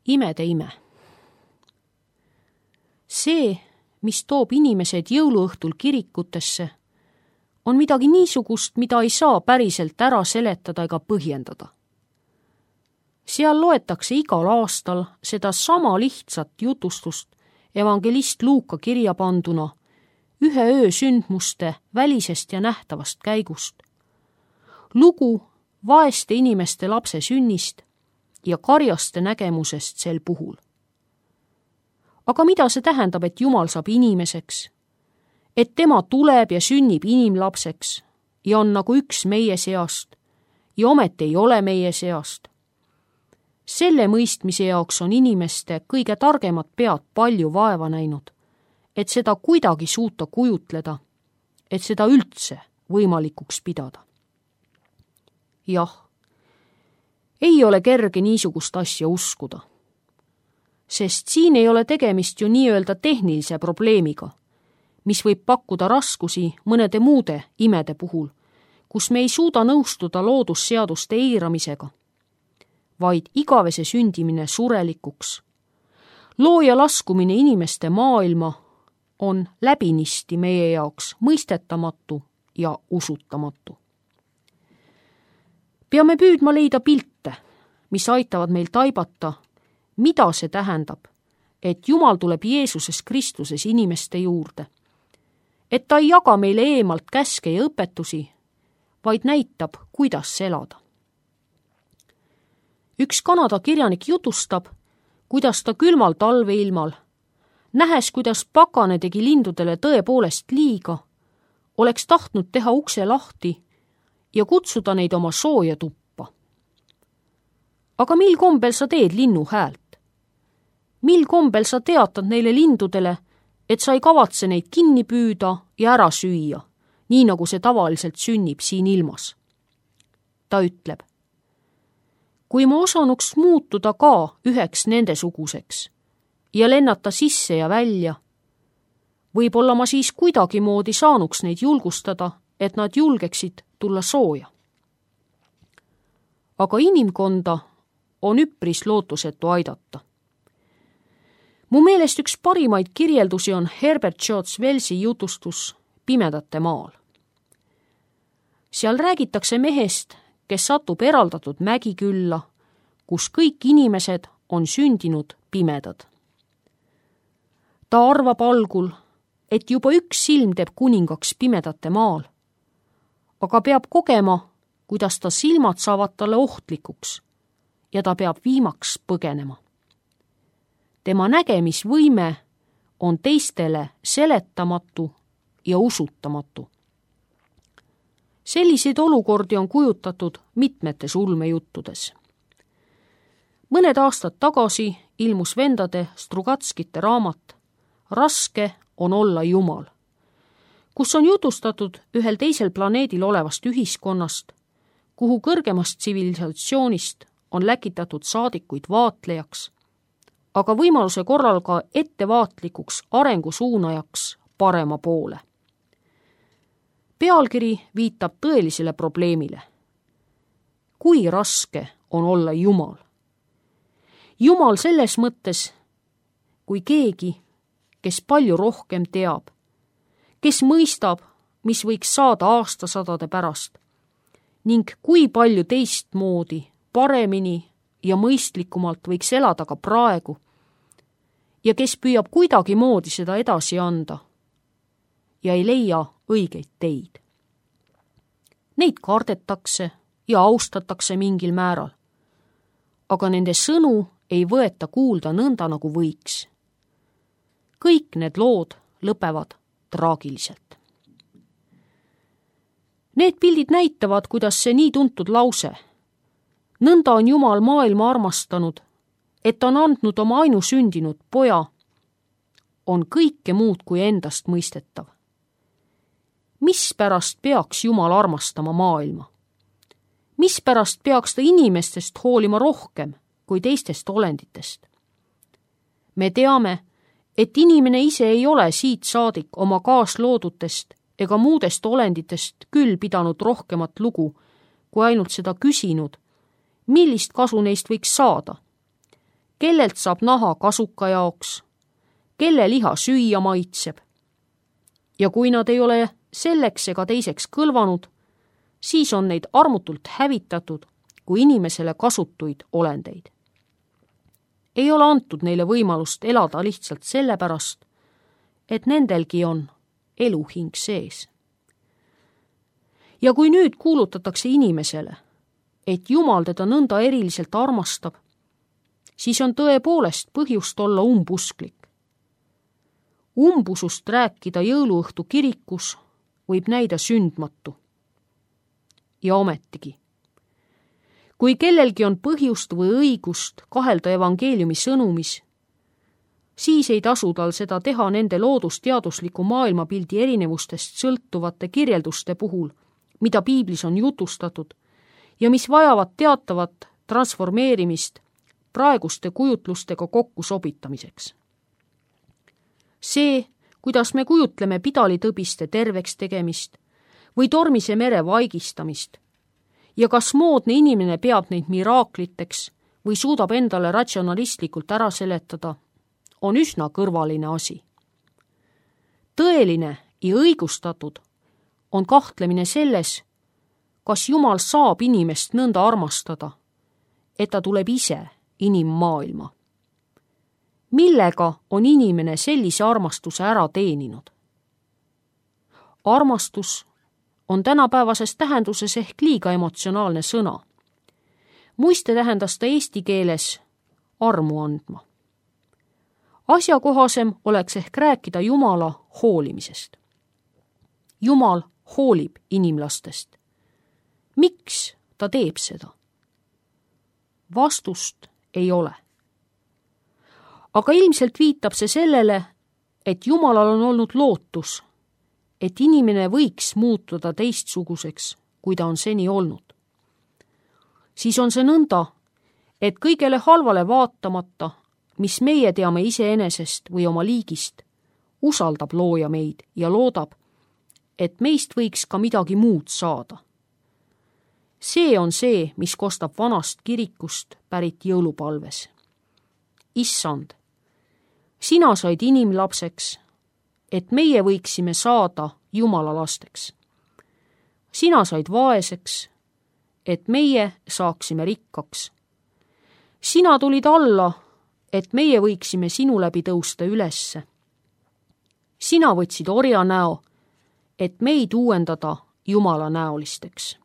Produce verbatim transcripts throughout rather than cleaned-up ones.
imede ime. See, mis toob inimesed jõuluõhtul kirikutesse, on midagi niisugust, mida ei saa päriselt ära seletada ega põhjendada. Seal loetakse igal aastal seda sama lihtsat jutustust evangelist Luuka kirja panduna ühe öö sündmuste välisest ja nähtavast käigust. Lugu vaeste inimeste lapse sünnist ja karjaste nägemusest sel puhul. Aga mida see tähendab, et Jumal saab inimeseks, et tema tuleb ja sünnib inimlapseks ja on nagu üks meie seast ja ometi ei ole meie seast? Selle mõistmise jaoks on inimeste kõige targemad pead palju vaeva näinud, et seda kuidagi suuta kujutleda, et seda üldse võimalikuks pidada. Jah, ei ole kerge niisugust asja uskuda, sest siin ei ole tegemist ju nii-öelda tehnilise probleemiga, mis võib pakkuda raskusi mõnede muude imede puhul, kus me ei suuda nõustuda loodusseaduste eiramisega, vaid igavese sündimine surelikuks. Looja laskumine inimeste maailma on läbinisti meie jaoks mõistetamatu ja usutamatu. Peame püüdma leida pilte, mis aitavad meil taibata, mida see tähendab, et Jumal tuleb Jeesuses Kristuses inimeste juurde, et ta ei jaga meile eemalt käske ja õpetusi, vaid näitab, kuidas elada. Üks Kanada kirjanik jutustab, kuidas ta külmal talveilmal, nähes, kuidas pakane tegi lindudele tõepoolest liiga, oleks tahtnud teha ukse lahti ja kutsuda neid oma sooja tuppa. Aga mil kombel sa teed linnu häält? Mil kombel sa teatad neile lindudele, et sa ei kavatse neid kinni püüda ja ära süüa, nii nagu see tavaliselt sünnib siin ilmas? Ta ütleb, kui ma osanuks muutuda ka üheks nendesuguseks ja lennata sisse ja välja, võib-olla ma siis kuidagimoodi saanuks neid julgustada, et nad julgeksid tulla sooja. Aga inimkonda on üpris lootusetu aidata. Mu meelest üks parimaid kirjeldusi on Herbert George Wellsi jutustus Pimedate maal. Seal räägitakse mehest, kes satub eraldatud mägikülla, kus kõik inimesed on sündinud pimedad. Ta arvab algul, et juba üks silm teeb kuningaks pimedate maal, aga peab kogema, kuidas ta silmad saavad talle ohtlikuks ja ta peab viimaks põgenema. Tema nägemisvõime on teistele seletamatu ja usutamatu. Selliseid olukordi on kujutatud mitmetes ulmejuttudes. Mõned aastad tagasi ilmus vendade Strugatskite raamat Raske on olla Jumal, kus on jutustatud ühel teisel planeedil olevast ühiskonnast, kuhu kõrgemast tsivilisatsioonist on läkitatud saadikuid vaatlejaks, aga võimaluse korral ka ettevaatlikuks arengusuunajaks parema poole. Pealkiri viitab tõelisele probleemile. Kui raske on olla Jumal? Jumal selles mõttes, kui keegi, kes palju rohkem teab, kes mõistab, mis võiks saada aastasadade pärast, ning kui palju teistmoodi, paremini ja mõistlikumalt võiks elada ka praegu, ja kes püüab kuidagi moodi seda edasi anda ja ei leia õigeid teid. Neid kardetakse ja austatakse mingil määral, aga nende sõnu ei võeta kuulda nõnda, nagu võiks. Kõik need lood lõpevad traagiliselt. Need pildid näitavad, kuidas see nii tuntud lause, nõnda on Jumal maailma armastanud, et on andnud oma ainusündinud poja, on kõike muud kui endast mõistetav. Mispärast peaks Jumal armastama maailma? Mispärast peaks ta inimestest hoolima rohkem kui teistest olenditest? Me teame, et inimene ise ei ole siit saadik oma kaasloodutest ega muudest olenditest küll pidanud rohkemat lugu, kui ainult seda küsinud, millist kasu neist võiks saada, kellelt saab naha kasuka jaoks, kelle liha süüa maitseb. Ja kui nad ei ole selleks ega teiseks kõlvanud, siis on neid armutult hävitatud kui inimesele kasutuid olendeid. Ei ole antud neile võimalust elada lihtsalt sellepärast, et nendelgi on eluhing sees. Ja kui nüüd kuulutatakse inimesele, et Jumal teda nõnda eriliselt armastab, siis on tõepoolest põhjust olla umbusklik. Umbusust rääkida jõuluõhtu kirikus võib näida sündmatu. Ja ometigi, kui kellelgi on põhjust või õigust kahelda evangeeliumi sõnumis, siis ei tasu tal seda teha nende loodusteadusliku maailmapildi erinevustest sõltuvate kirjelduste puhul, mida piiblis on jutustatud ja mis vajavad teatavat transformeerimist praeguste kujutlustega kokku sobitamiseks. See, kuidas me kujutleme pidalitõbiste terveks tegemist või tormise mere vaigistamist ja kas moodne inimene peab neid miraakliteks või suudab endale ratsionalistlikult ära seletada, on üsna kõrvaline asi. Tõeline ja õigustatud on kahtlemine selles, kas Jumal saab inimest nõnda armastada, et ta tuleb ise inimmaailma. Millega on inimene sellise armastuse ära teeninud? Armastus on tänapäevases tähenduses ehk liiga emotsionaalne sõna. Muiste tähendas ta eesti keeles armu andma. Asjakohasem oleks ehk rääkida Jumala hoolimisest. Jumal hoolib inimlastest. Miks ta teeb seda? Vastust ei ole. Aga ilmselt viitab see sellele, et Jumalal on olnud lootus, et inimene võiks muutuda teistsuguseks, kui ta on seni olnud. Siis on see nõnda, et kõigele halvale vaatamata, mis meie teame iseenesest või oma liigist, usaldab looja meid ja loodab, et meist võiks ka midagi muud saada. See on see, mis kostab vanast kirikust pärit jõulupalves. Issand, sina said inimlapseks, et meie võiksime saada Jumala lasteks. Sina said vaeseks, et meie saaksime rikkaks. Sina tulid alla, et meie võiksime sinu läbi tõusta ülesse. Sina võtsid orja näo, et meid uuendada Jumala näolisteks.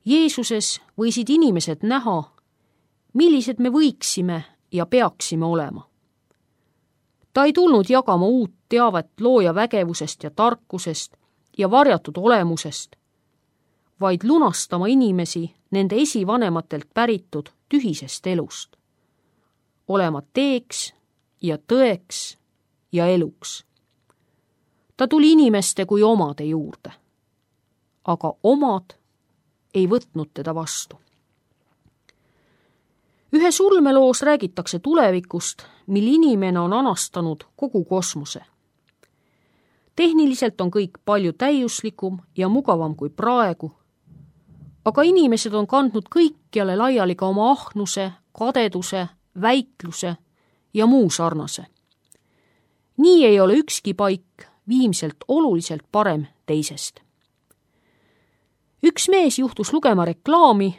Jeesuses võisid inimesed näha, millised me võiksime ja peaksime olema. Ta ei tulnud jagama uut teavet looja vägevusest ja tarkusest ja varjatud olemusest, vaid lunastama inimesi nende esivanematelt päritud tühisest elust, olema teeks ja tõeks ja eluks. Ta tuli inimeste kui omade juurde, aga omad ei võtnud teda vastu. Ühes ulmeloos räägitakse tulevikust, mil inimene on anastanud kogu kosmose. Tehniliselt on kõik palju täiuslikum ja mugavam kui praegu, aga inimesed on kandnud kõikjale laiali ka oma ahnuse, kadeduse, väikluse ja muu sarnase. Nii ei ole ükski paik viimselt oluliselt parem teisest. Üks mees juhtus lugema reklaami,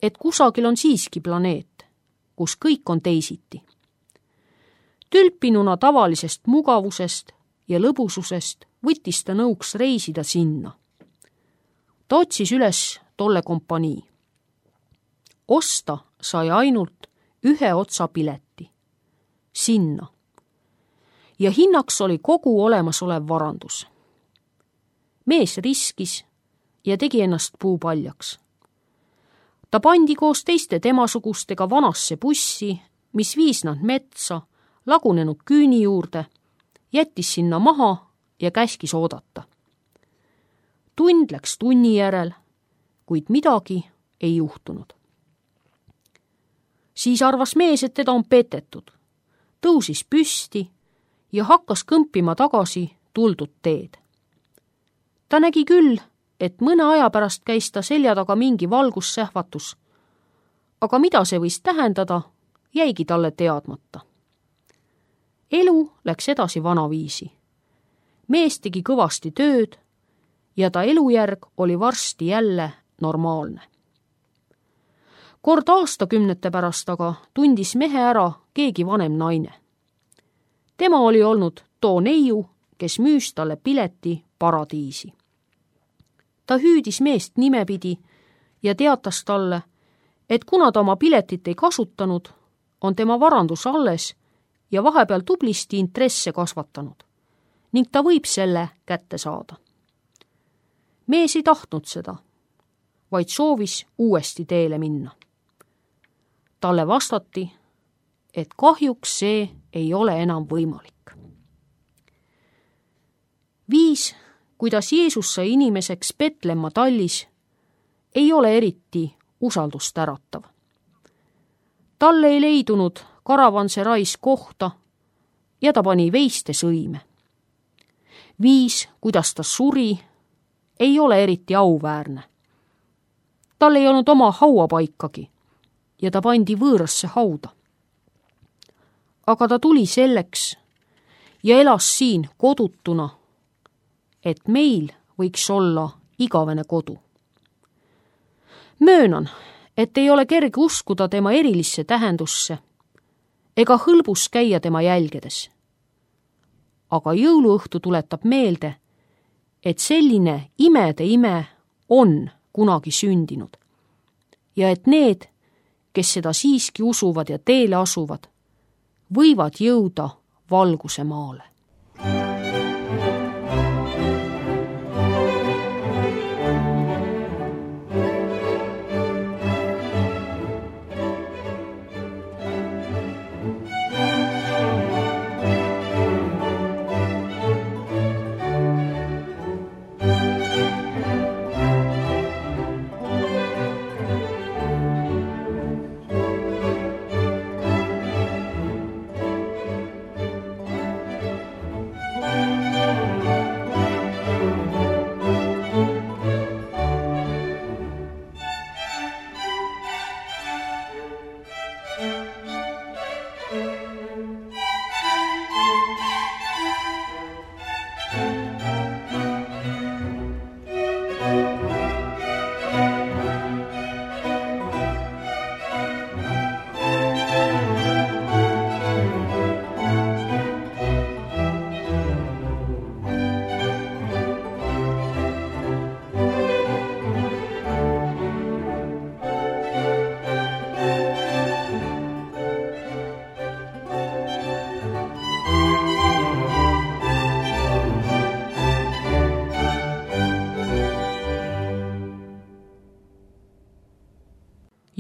et kusagil on siiski planeet, kus kõik on teisiti. Tülpinuna tavalisest mugavusest ja lõbususest võttis ta nõuks reisida sinna. Ta otsis üles tolle kompanii. Osta sai ainult ühe otsa pileti. Sinna. Ja hinnaks oli kogu olemasolev varandus. Mees riskis ja tegi ennast puupaljaks. Ta pandi koos teiste temasugustega vanasse bussi, mis viis nad metsa, lagunenud küüni juurde, jättis sinna maha ja käskis oodata. Tund läks tunni järel, kuid midagi ei juhtunud. Siis arvas mees, et teda on petetud, tõusis püsti ja hakkas kõmpima tagasi tuldud teed. Ta nägi küll, et mõne aja pärast käis ta selja taga mingi valgussähvatus, aga mida see võis tähendada, jäigi talle teadmata. Elu läks edasi vanaviisi. Mees tegi kõvasti tööd ja ta elujärg oli varsti jälle normaalne. Kord aastakümnete pärast aga tundis mehe ära keegi vanem naine. Tema oli olnud too neiu, kes müüs talle pileti paradiisi. Ta hüüdis meest nimepidi ja teatas talle, et kuna ta oma piletit ei kasutanud, on tema varandus alles ja vahepeal tublisti intresse kasvatanud ning ta võib selle kätte saada. Mees ei tahtnud seda, vaid soovis uuesti teele minna. Talle vastati, et kahjuks see ei ole enam võimalik. Viis, kuidas Jeesus sai inimeseks Petlemma tallis, ei ole eriti usaldust äratav. Talle ei leidunud karavanserais kohta ja ta pani veiste sõime. Viis, kuidas ta suri, ei ole eriti auväärne. Tal ei olnud oma hauapaikagi ja ta pandi võõrasse hauda. Aga ta tuli selleks ja elas siin kodutuna, et meil võiks olla igavene kodu. Möönan, et ei ole kerge uskuda tema erilisse tähendusse ega hõlbus käia tema jälgedes. Aga jõuluõhtu tuletab meelde, et selline imede ime on kunagi sündinud ja et need, kes seda siiski usuvad ja teele asuvad, võivad jõuda valguse maale.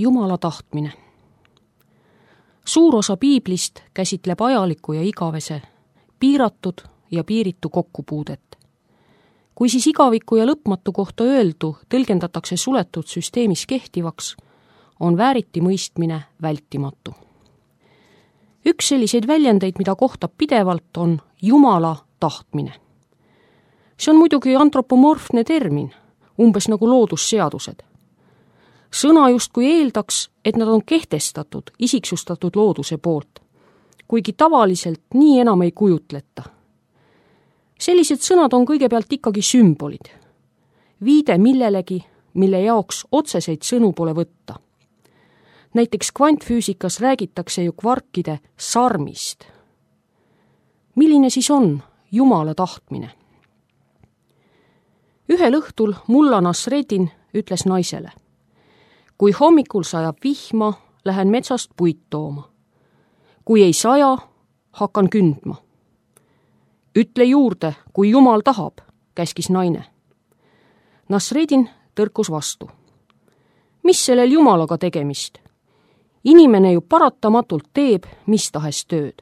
Jumala tahtmine. Suur osa piiblist käsitleb ajaliku ja igavese, piiratud ja piiritu kokkupuudet. Kui siis igaviku ja lõpmatu kohta öeldu tõlgendatakse suletud süsteemis kehtivaks, on vääriti mõistmine vältimatu. Üks selliseid väljendeid, mida kohtab pidevalt, on Jumala tahtmine. See on muidugi antropomorfne termin, umbes nagu loodusseadused. Sõna justkui eeldaks, et nad on kehtestatud, isiksustatud looduse poolt, kuigi tavaliselt nii enam ei kujutleta. Sellised sõnad on kõigepealt ikkagi sümbolid. Viide millelegi, mille jaoks otseseid sõnu pole võtta. Näiteks kvantfüüsikas räägitakse ju kvarkide sarmist. Milline siis on Jumala tahtmine? Ühel õhtul mulla Nasreddin ütles naisele: kui hommikul sajab vihma, lähen metsast puit tooma. Kui ei saja, hakkan kündma. Ütle juurde, kui Jumal tahab, käskis naine. Nasreddin tõrkus vastu. Mis sellel Jumalaga tegemist? Inimene ju paratamatult teeb mis tahes tööd.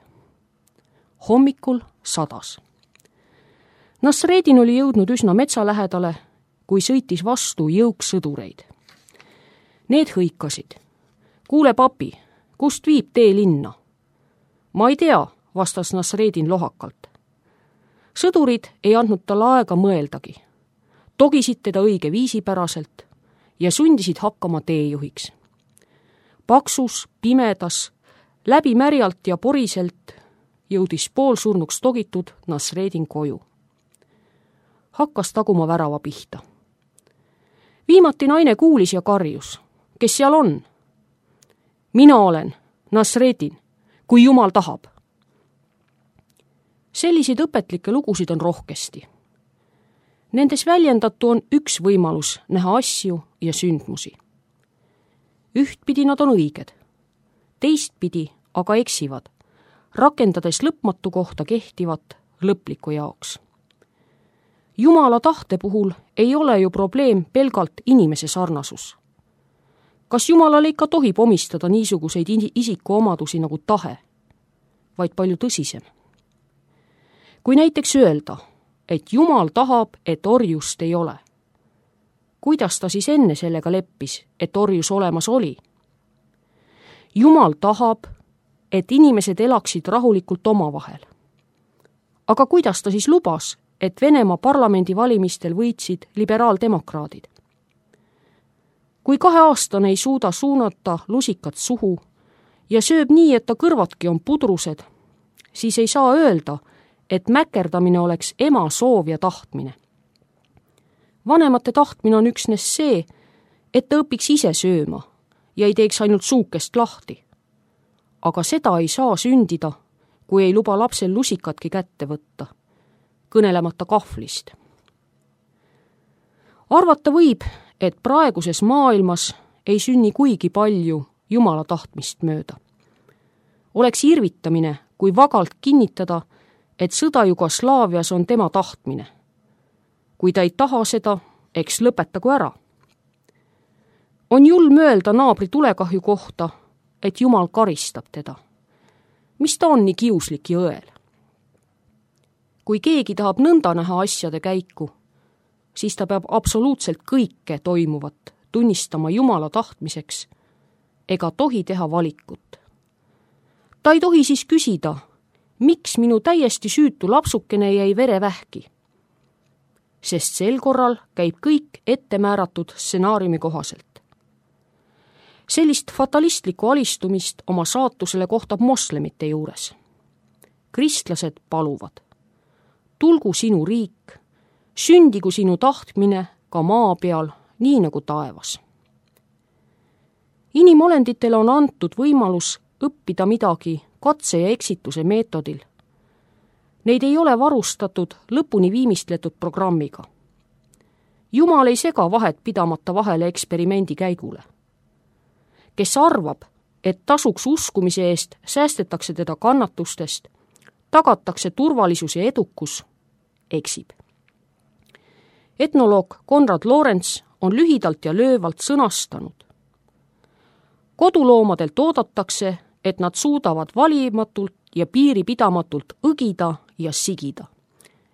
Hommikul sadas. Nasreddin oli jõudnud üsna metsa lähedale, kui sõitis vastu jõuk sõdureid. Need hõikasid. Kuule, papi, kust viib tee linna? Ma ei tea, vastas Nasreddin lohakalt. Sõdurid ei andnud talle aega mõeldagi. Togisid teda õige viisipäraselt ja sundisid hakkama teejuhiks. paksus, pimedas, läbi märjalt ja poriselt jõudis poolsurnuks togitud Nasreedin koju. Hakkas taguma värava pihta. Viimati naine kuulis ja karjus. Kes seal on? Mina olen, Nasreedin, kui Jumal tahab. Selliseid õpetlikke lugusid on rohkesti. Nendes väljendatu on üks võimalus näha asju ja sündmusi. Ühtpidi nad on õiged, teistpidi aga eksivad, rakendades lõpmatu kohta kehtivat lõpliku jaoks. Jumala tahte puhul ei ole ju probleem pelgalt inimese sarnasus. Kas Jumalale ikka tohib omistada niisuguseid isikuomadusi nagu tahe, vaid palju tõsisem? Kui näiteks öelda, et Jumal tahab, et orjust ei ole, kuidas ta siis enne sellega leppis, et orjus olemas oli? Jumal tahab, et inimesed elaksid rahulikult omavahel. Aga kuidas ta siis lubas, et Venemaa parlamendivalimistel võitsid liberaaldemokraadid? Kui kaheaastane ei suuda suunata lusikat suhu ja sööb nii, et ta kõrvatki on pudrused, siis ei saa öelda, et mäkerdamine oleks ema soov ja tahtmine. Vanemate tahtmine on üksnes see, et ta õpiks ise sööma ja ei teeks ainult suukest lahti. Aga seda ei saa sündida, kui ei luba lapsel lusikatki kätte võtta, kõnelemata kahvlist. Arvata võib, et praeguses maailmas ei sünni kuigi palju Jumala tahtmist mööda. Oleks irvitamine, kui vagalt kinnitada, et sõda Jugoslaavias on tema tahtmine. Kui ta ei taha seda, eks lõpetagu ära. On julm öelda naabri tulekahju kohta, et Jumal karistab teda. Mis ta on nii kiuslik ja õel? Kui keegi tahab nõnda näha asjade käiku, siis ta peab absoluutselt kõike toimuvat tunnistama Jumala tahtmiseks ega tohi teha valikut. Ta ei tohi siis küsida, miks minu täiesti süütu lapsukene jäi verevähki, sest sel korral käib kõik ettemääratud stsenaariumi kohaselt. Sellist fatalistlikku alistumist oma saatusele kohtab moslemite juures. Kristlased paluvad, tulgu sinu riik, sündigu sinu tahtmine ka maa peal, nii nagu taevas. Inimolenditel on antud võimalus õppida midagi katse ja eksituse meetodil. Neid ei ole varustatud lõpuni viimistletud programmiga. Jumal ei sega vahet pidamata vahele eksperimendi käigule. Kes arvab, et tasuks uskumise eest säästetakse teda kannatustest, tagatakse turvalisus ja edukus, eksib. Etnoloog Konrad Lorenz on lühidalt ja löövalt sõnastanud. Koduloomadelt oodatakse, et nad suudavad valimatult ja piiripidamatult õgida ja sigida.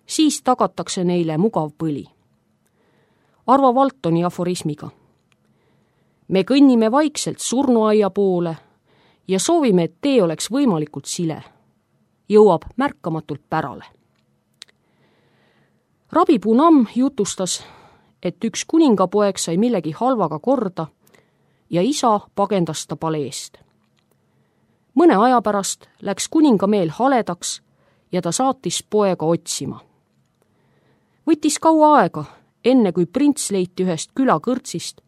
Siis tagatakse neile mugav põli. Arvo Valtoni aforismiga. Me kõnnime vaikselt surnuaia poole ja soovime, et tee oleks võimalikult sile. Jõuab märkamatult pärale. Rabi Punam jutustas, et üks kuningapoeg sai millegi halvaga korda ja isa pagendas ta paleest. Mõne aja pärast läks kuningameel haledaks ja ta saatis poega otsima. Võttis kaua aega, enne kui prints leiti ühest külakõrtsist,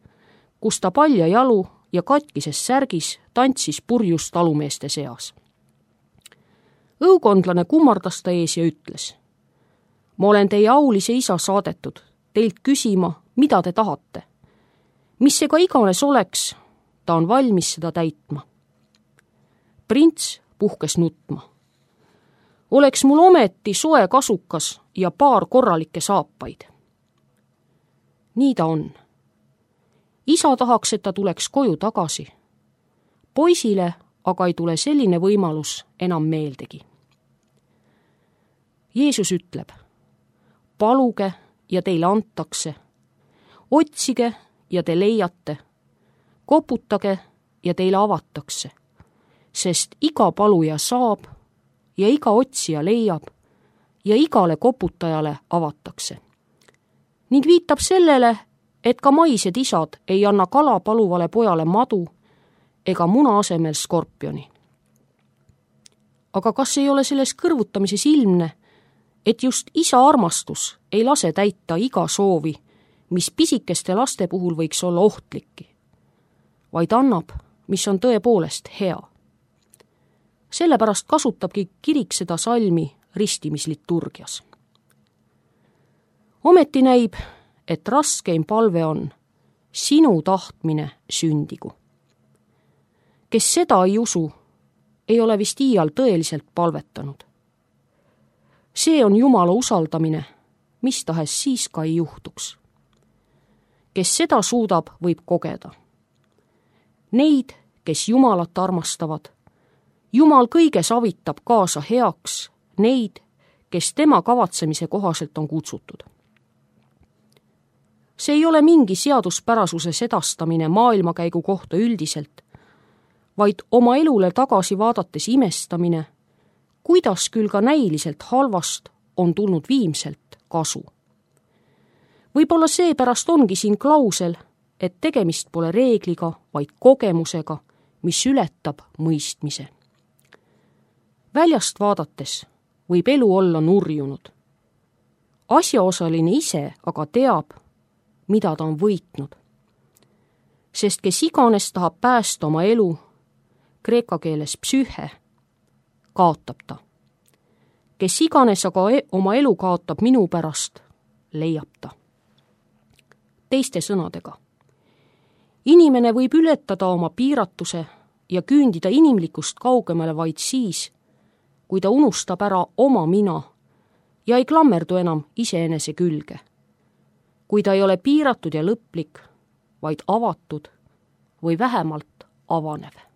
kus ta palja jalu ja katkises särgis tantsis purjus talumeeste seas. Õukondlane kummardas ta ees ja ütles, ma olen teie aulise isa saadetud, teilt küsima, mida te tahate. Mis see ka iganes oleks, ta on valmis seda täitma. Prints puhkes nutma. Oleks mul ometi soe kasukas ja paar korralikke saapaid. Nii ta on. Isa tahaks, et ta tuleks koju tagasi. Poisile aga ei tule selline võimalus enam meeldegi. Jeesus ütleb, paluge ja teile antakse, otsige ja te leiate, koputage ja teile avatakse, sest iga paluja saab ja iga otsija leiab ja igale koputajale avatakse. Ning viitab sellele, et ka maised isad ei anna kala paluvale pojale madu ega muna asemel skorpioni. Aga kas ei ole selles kõrvutamises ilmne, et just isa armastus ei lase täita iga soovi, mis pisikeste laste puhul võiks olla ohtlikki, vaid annab, mis on tõepoolest hea. Sellepärast kasutabki kirik seda salmi ristimisliturgias. Ometi näib, et raskeim palve on sinu tahtmine sündigu. Kes seda ei usu, ei ole vist iial tõeliselt palvetanud. See on Jumala usaldamine, mis tahes siis ka ei juhtuks. Kes seda suudab, võib kogeda. Neid, kes Jumalat armastavad, Jumal kõiges avitab kaasa heaks neid, kes tema kavatsemise kohaselt on kutsutud. See ei ole mingi seaduspärasuse sedastamine maailmakäigu kohta üldiselt, vaid oma elule tagasi vaadates imestamine, kuidas küll ka näiliselt halvast on tulnud viimselt kasu. Võib-olla seepärast ongi siin klausel, et tegemist pole reegliga, vaid kogemusega, mis ületab mõistmise. Väljast vaadates võib elu olla nurjunud. Asjaosaline ise aga teab, mida ta on võitnud. Sest kes iganes tahab päästa oma elu, kreeka keeles psühhe, kaotab ta. Kes iganes aga oma elu kaotab minu pärast, leiab ta. Teiste sõnadega, inimene võib ületada oma piiratuse ja küündida inimlikust kaugemale vaid siis, kui ta unustab ära oma mina ja ei klammerdu enam iseenese külge. Kui ta ei ole piiratud ja lõplik, vaid avatud või vähemalt avanev.